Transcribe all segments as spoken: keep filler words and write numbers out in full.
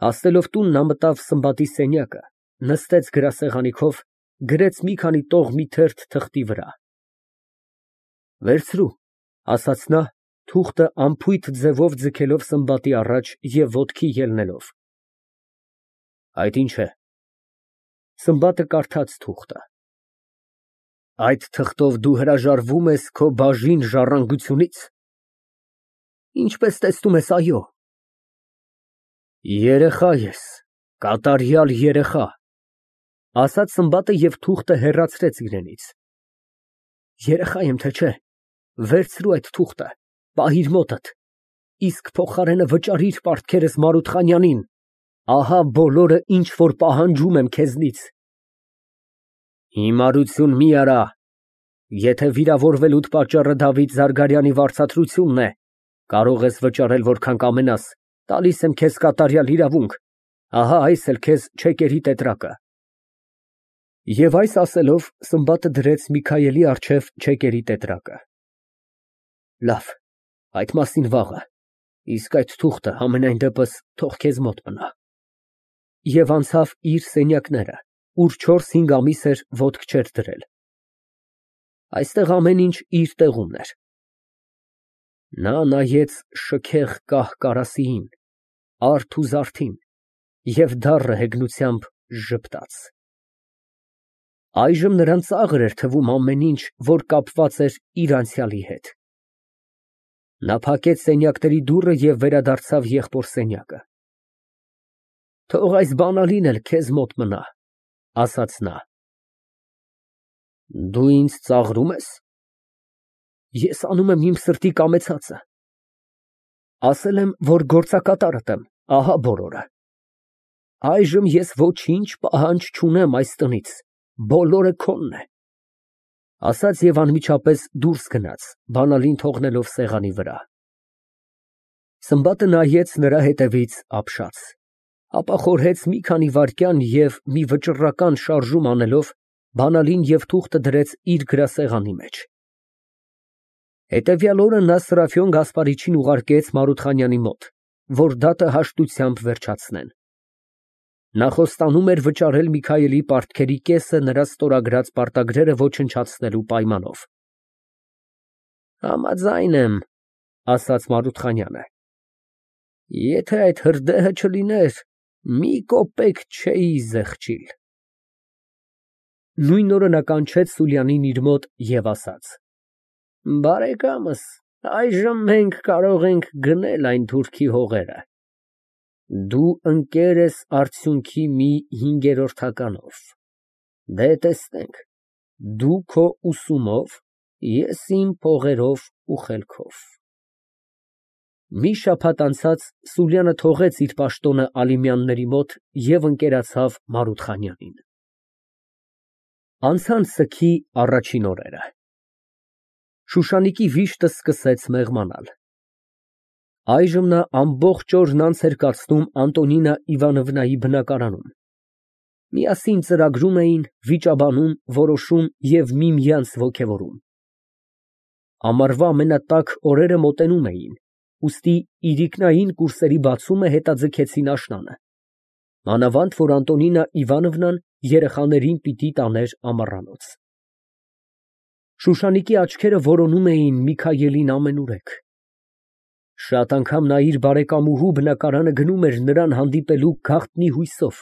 Հասնելով տուն, նա մտավ Սմբատի սենյակը, նստեց գրասեղանի քով, գրեց մի քանի տող մի թերթ թղթի վրա։ «Վերցրու», ասաց նա, թուղթը անփույթ ձևով ձգելով Սմբատի առաջ և ոտքի ելնելով։ «Այդ ի՞նչ է»։ Սմբատը կարդաց թուղթը։ «Այդ թղթով դու հրաժարվում ես քո բաժին ժառանգությունից»։ «Ինչպես տեսնում ես, այո»։ «Երեխա ես, կատարյալ երեխա», ասաց Սմբատը և թուղթը հեռացրեց իրենից։ «Երեխա եմ, թե չէ, վերցրու այդ թուղթը, պահիր մոտդ, իսկ փոխարենը վճարիր պարտքերս Մարութխանյանին, ահա բոլորը, ինչ որ պահանջում եմ քեզնից»։ «Հիմարություն մի արա, եթե վիրավորվելուդ պատճառը Դավիթ Զարգարյանի վարձատրությունն է, կարող ես վճարել որքան կամենաս, տալիս եմ քեզ կատարյալ իրավունք, ահա այս էլ քեզ չեկերի տետրակը»։ Եվ այս ասելով, Սմբատը դրեց Միքայելի առջև չեկերի տետրակը։ «Լավ, այդ մասին վաղը, իսկ այդ թուղթը համենայն դեպս թող քեզ մոտ մնա»։ Եվ անցավ իր սենյակները, ուր չորս֊հինգ ամիս էր ոտք չէր դրել։ Այստեղ ամեն ինչ իր տեղումն էր։ Նա նայեց շքեղ կահ կարասիին, արթ ու զարթին և դառը հեգնությամբ ժպտաց։ Այժմ նրան ծաղր էր թվում ամեն ինչ, որ կապված էր իր անցյալի հետ։ Նա փակեց սենյակների դուռը և վերադարձավ եղբոր սենյակը։ «Թող այս բանալին էլ քեզ մոտ մնա», ասաց նա։ «Դու ինձ ծաղրում ես»։ «Ես անում եմ իմ սրտի կամեցածը։ Ասել եմ, որ գործակատարդ եմ, ահա բոլորը։ Այժմ ես ոչինչ պահանջ չունեմ այս տնից, բոլորը քոնն է», ասաց և անմիջապես դուրս գնաց, բանալին թողնելով սեղանի վրա։ Սմբատը նայեց նրա հետևից ապշած, ապա խորհեց մի քանի վայրկյան և մի վճռական շարժում անելով, բանալին և թուղթը դրեց իր գրասեղանի մեջ։ Հետևյալ օրը նա Սրափիոն Գասպարիչին ուղարկեց Մարութխանյանի մոտ, որ դատը հաշտությամբ վերջացնեն։ Նա խոստանում էր վճարել Միքայելի պարտքերի կեսը նրա ստորագրած պարտագրերը ոչնչացնելու պայմանով։ «Համաձայն եմ», ասաց Մարութխանյանը։ «Եթե այդ հրդեհը չլիներ, մի կոպեկ չէի զեղչիլ»։ Նույն օրը նա կանչեց Սուլյանին իր մոտ և ասաց. «Բարեկամս, այժմ մենք կարող ենք գնել այն թուրքի հողերը։ Դու ընկեր ես արդյունքի մի հինգերորդականով։ Դե, տեսնենք, դու քո ուսումով, ես իմ փողերով ու խելքով»։ Մի շաբաթ անցած Սուլյանը թողեց իր պաշտոնը Ալիմյանների մոտ և ընկերացավ Մարութխանյանին։ Անցան սգի առաջին օրերը։ Շուշանիկի վիշտը սկսեց մեղմանալ։ Այժմ նա ամբողջ օրն անց էր կացնում Անտոնինա Իվանովնայի բնակարանում։ Միասին ծրագրում էին, վիճաբանում, որոշում և միմյանց ոգևորում։ Ամառվա ամենատաք օրերը մոտենում էին, ուստի իրիկնային կուրսերի բացումը հետաձգեցին աշնանը, մանավանդ որ Անտոնինա Իվանովնան երեխաներին պիտի տաներ ամառանոց։ Շուշանիկի աչքերը որոնում էին Միքայելին ամենուրեք։ Շատ անգամ նա իր բարեկամուհու բնակարանը գնում էր նրան հանդիպելու գաղտնի հույսով։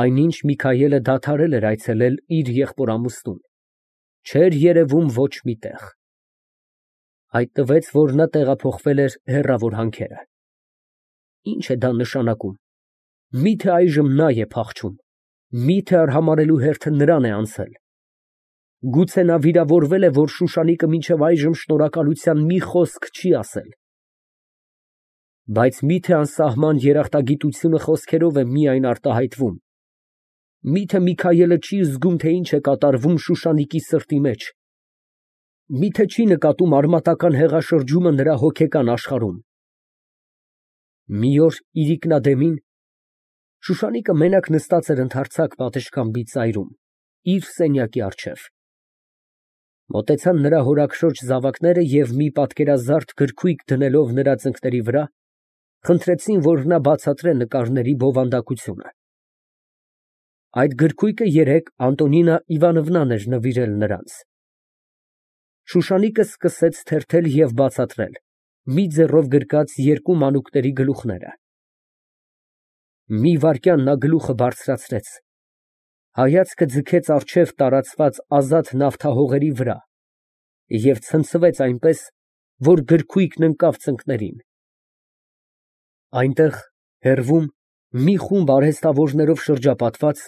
Այնինչ Միքայելը դադարել էր այցելել իր եղբոր֊ամուսնուն, չէր երևում ոչ մի տեղ։ Հայտնվեց, որ նա տեղափոխվել էր հեռավոր հանքերը։ Ի՞նչ է դա նշանակում։ Մի՞թե այժմ նա է փախչում, մի՞թե արհամարհելու հերթը նրան է անցել։ Գուցե նա վիրավորվել է, որ Շուշանիկը մինչև այժմ շնորհակալության մի խոսք չի ասել։ Բայց մի՞թե անսահման երախտագիտությունը խոսքերով է միայն արտահայտվում։ Մի՞թե Միքայելը չի զգում, թե ինչ է կատարվում Շուշանիկի սրտի մեջ։ Մի՞թե չի նկատում արմատական հեղաշրջումը նրա հոգեկան աշխարհում։ Մի օր իրիկնադեմին Շուշանիկը մենակ նստած էր ընդարձակ պատշգամբի ծայրում, իր սենյակի առջև։ Մոտեցան նրա հորաքշոջ զավակները և մի պատկերազարդ գրքույկ դնելով նրա ծնկների վրա, խնդրեցին, որ նա բացատրե նկարների բովանդակությունը։ Այդ գրքույկը երեկ Անտոնինա Իվանովնան էր նվիրել նրանց։ Շուշանիկը սկսեց թերթել և բացատրել, մի ձեռով գրկած երկու մանուկների գլուխները։ Մի վայրկյան նա գլուխը բարձրացրեց, հայացքը ձգեց առջև տարածված ազատ նավթահողերի վրա և ցնցվեց այնպես, որ գրքույկն ընկավ ծնկներին։ Այնտեղ, հեռվում, մի խումբ արհեստավորներով շրջապատված,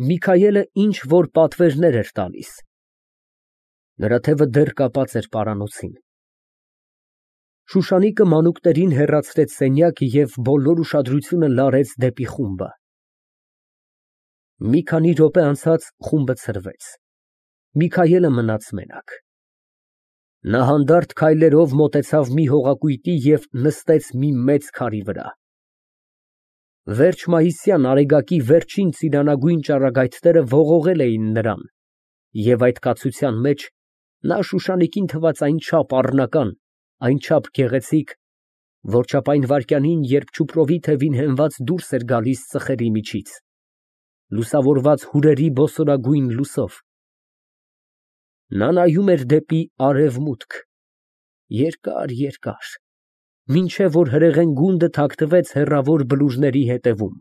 Միքայելը ինչ֊որ պատվերներ էր տալիս։ Նրա թևը դեռ կապած էր պարանոցին։ Շուշանիկը մանուկներին հեռացրեց սենյակ և բոլոր ուշադրությունը լարեց դեպի խումբը։ Մի քանի րոպե անցած խումբը ցրվեց։ Միքայելը մնաց մենակ։ Նա հանդարտ քայլերով մոտեցավ մի հողակույտի և նստեց մի մեծ քարի վրա։ Վերջ մայիսյան արեգակի վերջին ծիրանագույն ճառագայթները ողողել էին նրան, և այդ կացության մեջ նա Շուշանիկին թվաց այնչափ առնական, այնչափ գեղեցիկ, որչափ այն վայրկյանին, երբ չուպրովի թևին հենված դուրս էր գալիս ծխերի միջից, լուսավորված հյուրերի բոսորագույն լույսով։ Նա նայում էր դեպի արևմուտք, երկար, երկար, մինչև որ հրեղեն գունդը թաքնվեց հեռավոր բլուրների ետևում։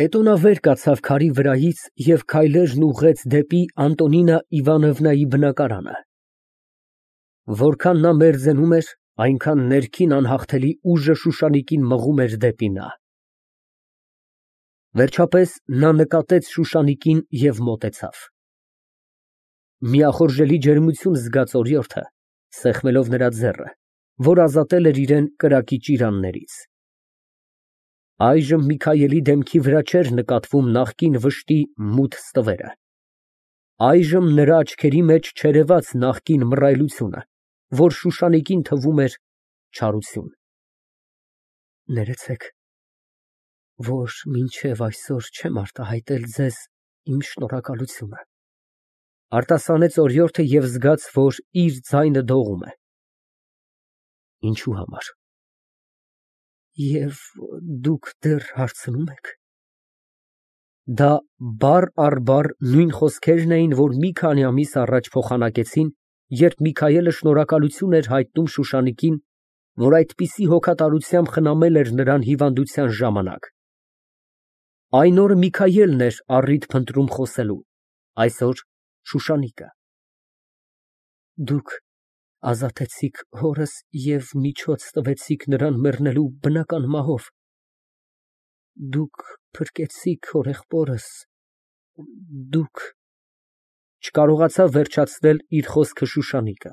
Հետո նա վեր կացավ քարի վրայից և քայլերն ուղղեց դեպի Անտոնինա Իվանովնայի բնակարանը։ Որքան նա մերձենում էր, այնքան ներքին անհաղթելի ուժը Շուշանիկին մղում էր դեպի նա։ Վերջապես նա նկատեց Շուշանիկին և մոտեցավ։ Միախորժելի ջերմություն զգաց օրիորդը, սեղմելով նրա ձեռքը, որ ազատել էր իրան կրակի ճիրաններից։ Այժմ Միքայելի դեմքի վրա չէր նկատվում նախկին վշտի մութ ստվերը։ Այժմ նրա աչքերի մեջ չերևաց նախկին մռայլությունը, որ Շուշանիկին թվում էր չարություն։ Ներեցեք, որ մինչև այսօր չեմ արտահայտել ձեզ իմ շնորհակալությունը, արտասանեց օրիորդը և զգաց, որ իր ձայնը դողում է։ Ինչու համար։ Եվ դուք դեռ հարցնում եք։ Դա բառ առ բառ նույն խոսքերն էին, որ մի քանի ամիս առաջ փոխանակեցին, երբ Միքայելը շնորհակալություն էր հայտնում Շուշանիկին, որ այդպիսի հոգատարությամբ խնամել էր նրան հիվանդության ժամանակ։ Այն օրը Միքայելն էր առիթ փնտրում խոսելու, այսօր Շուշանիկը։ Դուք ազատեցիք հորս և միջոց տվեցիք նրան մեռնելու բնական մահով։ Դուք փրկեցիք հորեղբորս, դուք… Չկարողացավ վերջացնել իր խոսքը Շուշանիկը։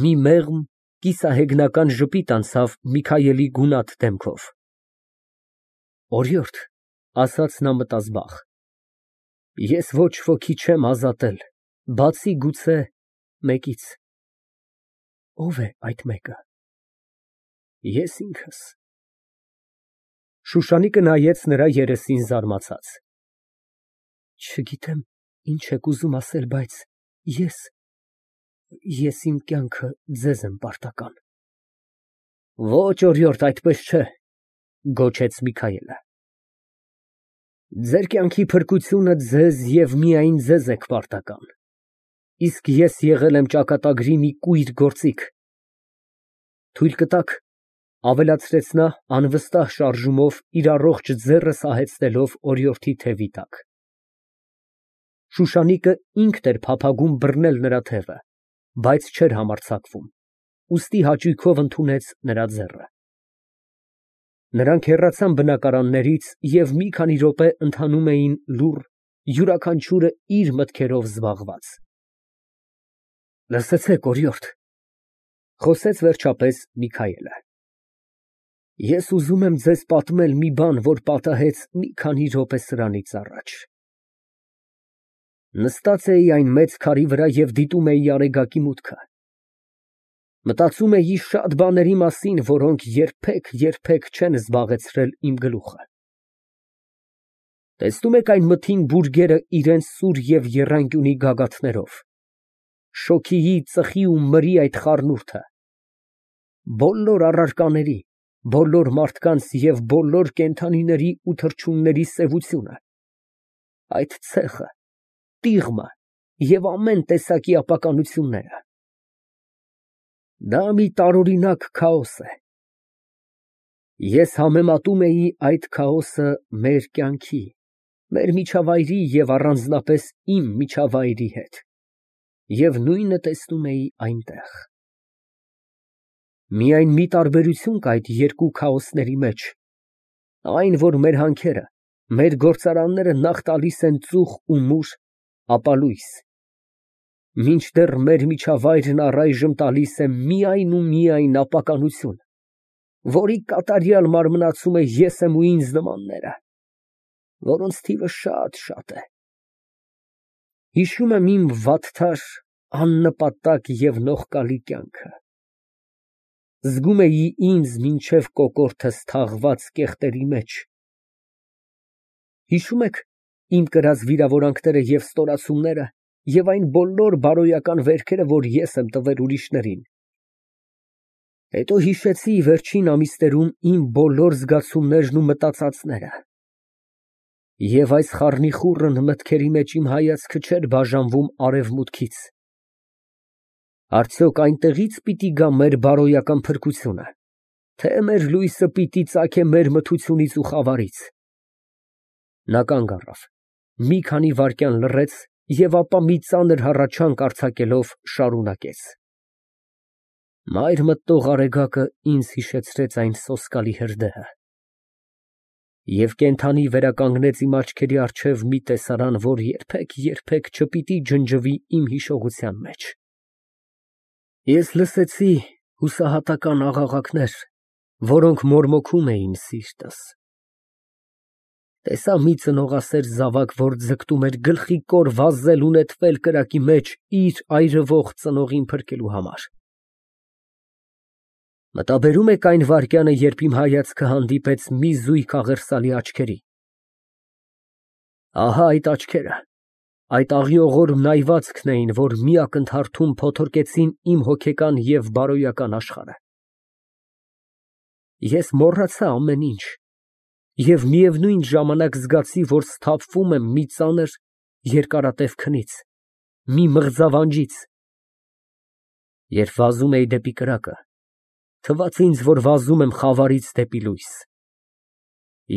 Մի մեղմ, կիսահեգնական ժպիտ անցավ Միքայելի գունատ դեմքով։ Օրիորդ, ասաց նա մտազբաղ, ես ոչ ոքի չեմ ազատել, բացի գուցե մեկից։ Ո՞վ է այդ մեկը։ Ես ինքս։ Շուշանիկը նայեց նրա երեսին զարմացած։ Չգիտեմ ինչ եք ուզում ասել, բայց ես… ես իմ կյանքը ձեզ եմ պարտական։ Ոչ, օրիորդ, այդպես չէ, գոչեց Միքայելը։ Ձեր կյանքի փրկությունը ձեզ և միայն ձեզ եք պարտական, իսկ ես եղել եմ ճակատագրի մի կույր գործիք։ Թույլ կտա՞ք, ավելացրեց նա անվստահ շարժումով իր առողջ ձեռը սահեցնելով օրիորդի թևի տակ։ Շուշանիկը ինքն էր փափագում բռնել նրա թևը, բայց չէր համարձակվում, ուստի հաճույքով ընդունեց նրա ձեռքը։ Նրանք հեռացան բնակարաններից և մի քանի րոպե ընթանում էին լուռ, յուրաքանչյուրը իր մտքերով զբաղված։ Լսեցեք, օրիորդ, խոսեց վերջապես Միքայելը, ես ուզում եմ ձեզ պատմել մի բան, որ պատահեց մի քանի րոպե սրանից առաջ։ Նստած էի այն մեծ քարի վրա և դիտում էի արեգակի մուտքը։ Մտածում էի շատ բաների մասին, որոնք երբեք, երբեք չեն զբաղեցրել իմ գլուխը։ Տեսնում եք այն մթին բուրգերը իրենց սուր և եռանկյունի գագաթներով, շոգիի, ծխի ու մրի այդ խառնուրդը։ բոլոր առարկաների, բոլոր մարդկանց և բոլոր կենդանիների ու թռչունների սևությունը, այդ ցեխը, տիղմը և ամեն տեսակի ապականությունները։ Դա մի տարօրինակ քաոս է։ Ես համեմատում էի այդ քաոսը մեր կյանքի, մեր միջավայրի և առանձնապես իմ միջավայրի հետ և նույնը տեսնում էի այնտեղ։ Միայն մի տարբերություն կա այդ երկու քաոսների մեջ, այն, որ մեր հանքերը, մեր գործարանները նախ տալիս են ծուխ ու մուր, ապա լույս, մինչդեռ մեր միջավայրն առայժմ տալիս է միայն ու միայն ապականություն, որի կատարյալ մարմնացում է ես եմ ու ինձ նմանները, որոնց թիվը շատ է։ Հիշում եմ իմ վատթար, աննպատակ և նողկալի կյանքը, զգում էի ինձ մինչև կոկորդս թաղված կեղտերի մեջ։ Հիշո՞ւմ եք իմ կրած վիրավորանքները և ստորացումները և այն բոլոր բարոյական վերքերը, որ ես եմ տվել ուրիշներին։ Հետո հիշեցի վերջին ամիսներում իմ բոլոր զգացումներն ու մտածածները, և այս խառնիխուռն մտքերի մեջ իմ հայացքը չէր բաժանվում արևմուտքից։ Արդյոք այնտեղի՞ց պիտի գա մեր բարոյական փրկությունը, թե մեր լույսը պիտի ծագե մեր մթությունից ու խավարից։ Նա կանգ առավ, մի քանի վայրկյան լռեց և ապա մի ծանր հառաչանք արձակելով շարունակեց. «Մայր մտնող արեգակը ինձ հիշեցրեց այն սոսկալի հրդեհը, և կենդանի վերականգնեց իմ աչքերի առջև մի տեսարան, որ երբեք չպիտի ջնջվի իմ հիշողության մեջ։ Ես լսեցի հուսահատական աղաղակներ, որոնք մորմոքում էին սիրտս։ Տեսա մի ծնողասեր զավակ, որ ձգտում էր գլխիկոր վազել ու նետվել կրակի մեջ իր այրվող ծնողին փրկելու համար։ Մտաբերո՞ւմ եք այն վայրկյանը, երբ իմ հայացքը հանդիպեց մի զույգ աղերսալի աչքերի։ Ահա այդ աչքերը, այդ աղիողոր նայվածքն էին, որ մի ակնթարթում փոթորկեցին իմ հոգեկան և բարոյական աշխարհը։ Ես մոռացա ամեն ինչ և միևնույն ժամանակ զգացի, որ սթափվում եմ մի ծանր երկարատև քնից, մի մղձավանջից։ Երբ վազում էի դեպի կրակը, թվաց ինձ, որ վազում եմ խավարից դեպի լույս։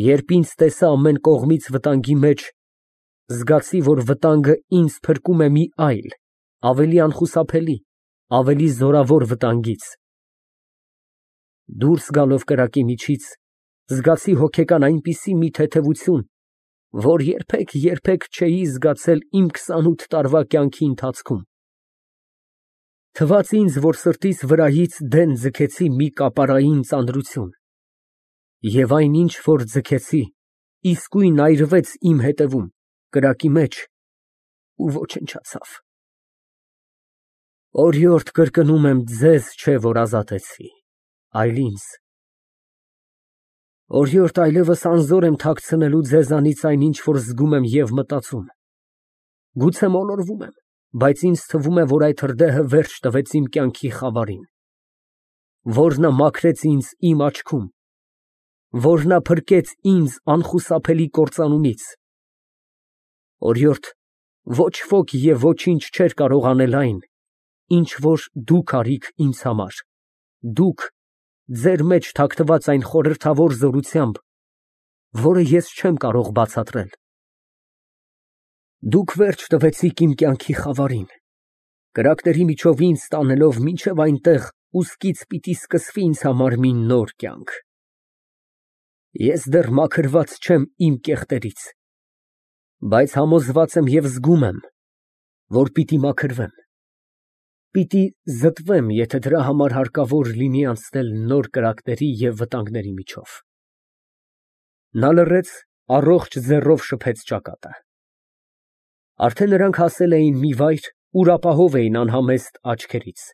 Երբ ինձ տեսա ամեն կողմից վտանգի մեջ, զգացի, որ վտանգը ինձ փրկում է մի այլ, ավելի անխուսափելի, ավելի զորավոր վտանգից։ Դուրս գալով կրակի միջից, զգացի հոգեկան այնպիսի մի թեթևություն, որ երբեք չէի զգացել իմ քսանութ տարվա կյանքի ընթացքում։ Թվաց ինձ, որ սրտիս վրայից դեն ձգեցի մի կապարային ծանրություն, և այն, ինչ որ ձգեցի, իսկույն այրվեց իմ ետևում, կրակի մեջ ու ոչնչացավ։ Օրիորդ կրկնում եմ, ձեզ չէ, որ ազատեցի, այլ ինձ։ Օրիորդ այլևս անզոր եմ թաքցնելու ձեզանից այն, ինչ որ զգում եմ և մտածում։ Գուցե մոլորվում եմ, բայց ինձ թվում է, որ այդ հրդեհը վերջ տվեց իմ կյանքի խավարին, որ նա մաքրեց ինձ իմ աչքում, որ նա փրկեց ինձ անխուսափելի կործանումից։ Օրիորդ, ոչ ոք և ոչինչ չէր կարող անել այն, ինչ որ դուք արիք ինձ համար, դուք, ձեր մեջ թաքնված այն խորհրդավոր զորությամբ, որը ես չեմ կարող բացատրել։ Դուք վերջ տվեցիք իմ կյանքի խավարին, կրակների միջով ինձ տանելով մինչև այնտեղ, ուսքից պիտի սկսվի ինձ համար մի նոր կյանք։ Ես դեռ մաքրված չեմ իմ կեղտերից, բայց համոզված եմ և զգում եմ, որ պիտի մաքրվեմ, պիտի զտվեմ, եթե դրա համար հարկավոր լինի անցնել նոր կրակների և վտանգների միջով։ Նա լռեց, առողջ ձեռով շփեց ճակատը։ Արդեն նրանք հասել էին մի վայր, ուր ապահով էին անհամեստ աչքերից։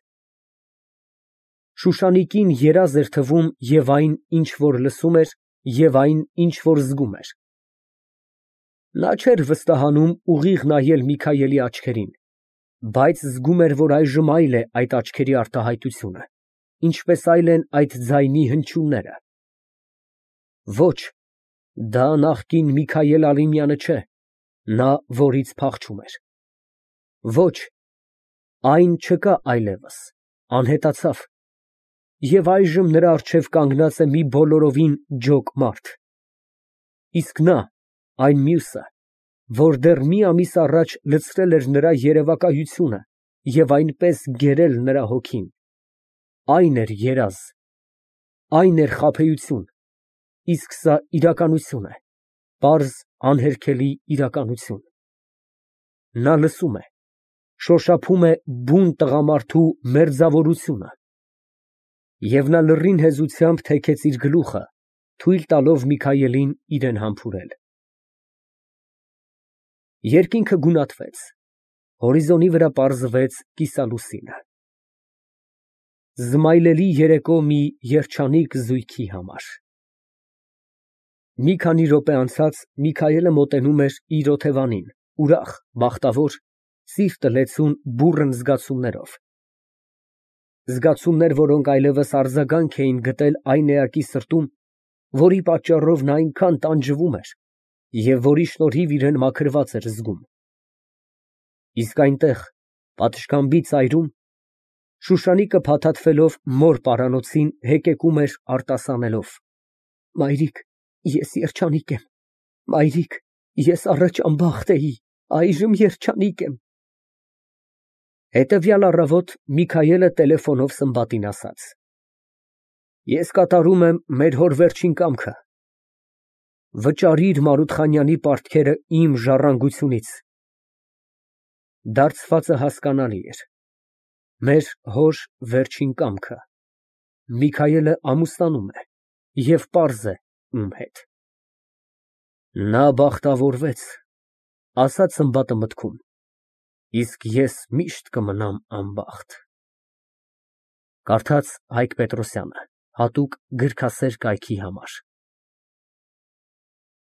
Շուշանիկին երազ էր թվում և այն, ինչ որ լսում էր, և այն, ինչ որ զգում էր։ Նա չէր վստահանում ուղիղ նայել Միքայելի աչքերին, բայց զգում էր, որ այժմ այլ է այդ աչքերի արտահայտությունը։ ինչպես այլ են այդ ձայնի հնչյունները։ Ոչ, դա նախկին Միքայել Ալիմյանը չէ, նա, որից փախչում էր։ Ոչ, այն չկա այլևս, անհետացավ, և այժմ նրա առջև կանգնած է մի բոլորովին ջոկ մարդ։ Իսկ նա, այն մյուսը, որ դեռ մի ամիս առաջ լցրել էր նրա երևակայությունը և այնպես գերել նրա հոգին, այն էր երազ, այն էր խաբեություն, իսկ սա իրականություն է, պարզ, անհերքելի իրականություն։ Նա լսում է, շոշափում է բուն տղամարդու մերձավորությունը, և նա լռին հեզությամբ թեքեց իր գլուխը, թույլ տալով Միքայելին իրան համբուրել։ Երկինքը գունատվեց, հորիզոնի վրա պարզվեց կիսալուսինը։ Զմայլելի երեկո մի երջանիկ զույգի համար։ Մի քանի րոպե անցած Միքայելը մոտենում էր իր օթևանին, ուրախ, բախտավոր, սիրտը լեցուն բուռն զգացումներով, զգացումներ, որոնք այլևս արձագանք էին գտել այն էակի սրտում, որի պատճառով նա այնքան տանջվում էր և որի շնորհիվ իրան մաքրված էր զգում։ Իսկ այնտեղ, պատշգամբի ծայրում, Շուշանիկը փաթաթվելով մոր պարանոցին հեկեկում էր արտասանելով. «Մայրիկ, ես երջանիկ եմ, մայրիկ, ես առաջ անբախտ էի, այժմ երջանիկ եմ»։ Հետևյալ առավոտ Միքայելը տելեֆոնով Սմբատին ասաց. «Ես կատարում եմ մեր հոր վերջին կամքը, վճարիր Մարութխանյանի պարտքերը իմ ժառանգությունից»։ Դարձվածը հասկանալի էր, մեր հոր վերջին կամքը, Միքայելը ամուսնանում է և պարզ է ում հետ։ «Նա բախտավորվեց», ասաց Սմբատը մտքում, «իսկ ես միշտ կմնամ անբախտ»։ Կարդաց Հայկ Պետրոսյանը, հատուկ գրքասեր կայքի համար։